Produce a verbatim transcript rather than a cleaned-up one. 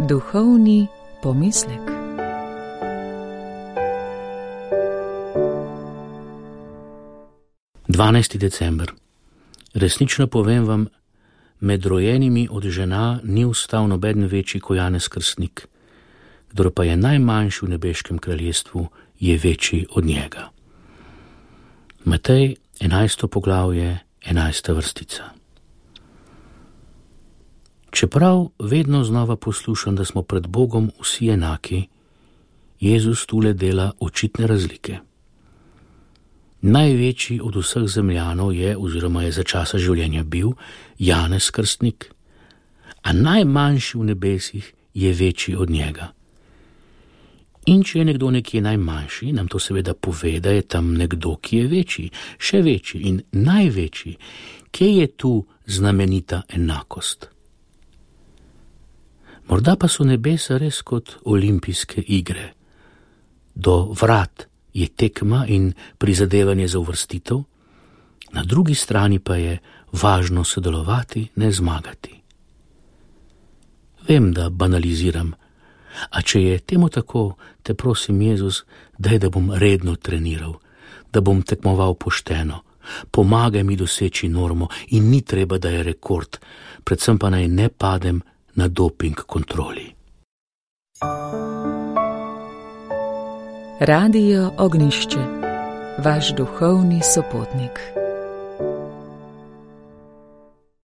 Duhovni pomislek. dvanajsti december. Resnično povem vam, med rojenimi od žena ni vstal nobeden večji ko Janez Krstnik, kdor pa je najmanjši v nebeškem kraljestvu, je večji od njega. Matej, enajsto poglavje, enajsta vrstica. Čeprav vedno znova poslušam, da smo pred Bogom vsi enaki, Jezus tule dela očitne razlike. Največji od vseh zemljanov je, oziroma je za časa življenja bil, Janez Krstnik, a najmanjši v nebesih je večji od njega. In če je nekdo nekje najmanjši, nam to seveda pove, da je tam nekdo, ki je večji, še večji in največji. Kje je tu znamenita enakost? Morda pa so nebesa res kot olimpijske igre. Do vrat je tekma in prizadevanje za uvrstitev, na drugi strani pa je važno sodelovati, ne zmagati. Vem, da banaliziram, a če je temu tako, te prosim, Jezus, daj, da bom redno treniral, da bom tekmoval pošteno, pomagaj mi doseči normo in ni treba, da je rekord, predvsem pa naj ne padem na doping kontroli. Radio Ognjišče, vaš duhovni sopotnik.